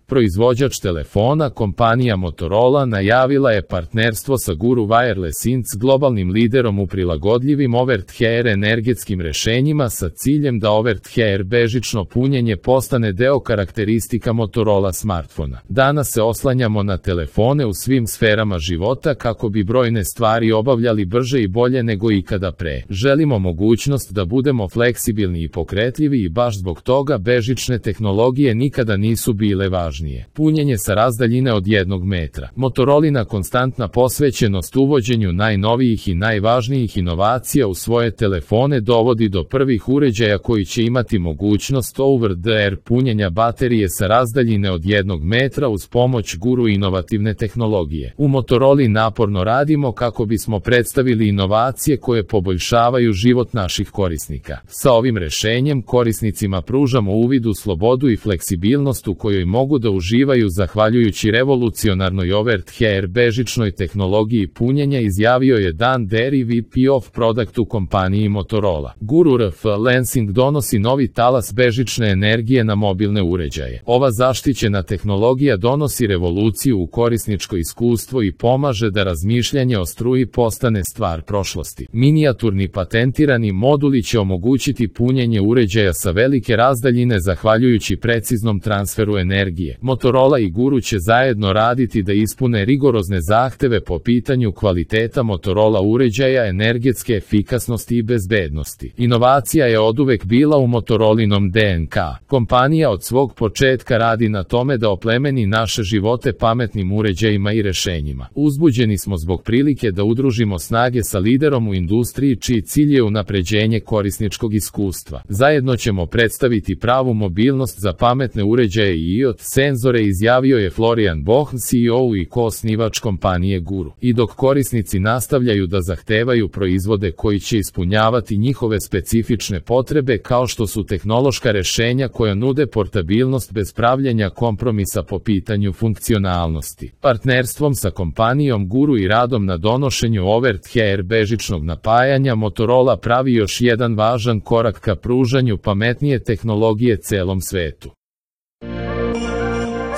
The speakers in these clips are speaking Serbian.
Proizvođač telefona, kompanija Motorola, najavila je partnerstvo sa Guru Wireless Inc., globalnim liderom u prilagodljivim over-the-air energetskim rešenjima sa ciljem da over-the-air bežično punjenje postane deo karakteristika Motorola smartfona. Danas se oslanjamo na telefone u svim sferama života kako bi brojne stvari obavljali brže i bolje nego ikada pre. Želimo mogućnost da budemo fleksibilni i pokretljivi i baš zbog toga bežične tehnologije nikada nisu bile važnije. Punjenje sa razdaljine od 1 metra. Motorolina konstantna posvećenost uvođenju najnovijih i najvažnijih inovacija u svoje telefone dovodi do prvih uređaja koji će imati mogućnost over-the-air punjenja baterije sa razdaljine od 1 metra uz pomoć Guru inovativne tehnologije. U Motoroli naporno radimo kako bismo predstavili inovacije koje poboljšavaju život naših korisnika. Sa ovim rešenjem korisnicima pružamo uvid u slobodu i fleksibilnost u kojoj mogu da uživaju zahvaljujući revolucionarnoj over-the-air bežičnoj tehnologiji punjenja, izjavio je Dan Derry, VP of Product u kompaniji Motorola. Guru RF Lansing donosi novi talas bežične energije na mobilne uređaje. Ova zaštićena tehnologija donosi revoluciju u korisničko iskustvo i pomaže da razmišljanje o struji postane stvar prošlosti. Minijaturni patentirani moduli će omogućiti punjenje uređaja sa velike razdaljine zahvaljujući preciznom transferu energije. Motorola i Guru će zajedno raditi da ispune rigorozne zahteve po pitanju kvaliteta Motorola uređaja, energetske efikasnosti i bezbednosti. Inovacija je oduvek bila u Motorolinom DNK. Kompanija od svog početka radi na tome da oplemeni naše živote pametnim uređajima i rešenjima. Uzbuđeni smo zbog prilike da udružimo snage sa liderom u industriji čiji cilj je unapređenje korisničkog iskustva. Zajedno ćemo predstaviti pravu mobilnost za pametne uređaje i IoT senzore, izjavio je Florian Bohn, CEO i koosnivač kompanije Guru. I dok korisnici nastavljaju da zahtevaju proizvode koji će ispunjavati njihove specifične potrebe, kao što su tehnološka rešenja koja nude portabilnost bez pravljenja kompromisa po pitanju funkcionalnosti. Partnerstvom sa kompanijom Guru i radom na donošenju over-the-air bežičnog napajanja, Motorola pravi još jedan važan korak ka pružanju pametnije tehnologije celom svetu.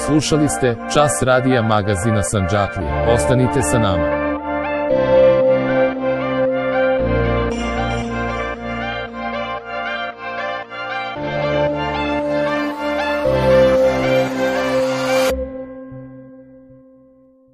Slušali ste Čas radija magazina Sandžaklija. Ostanite sa nama.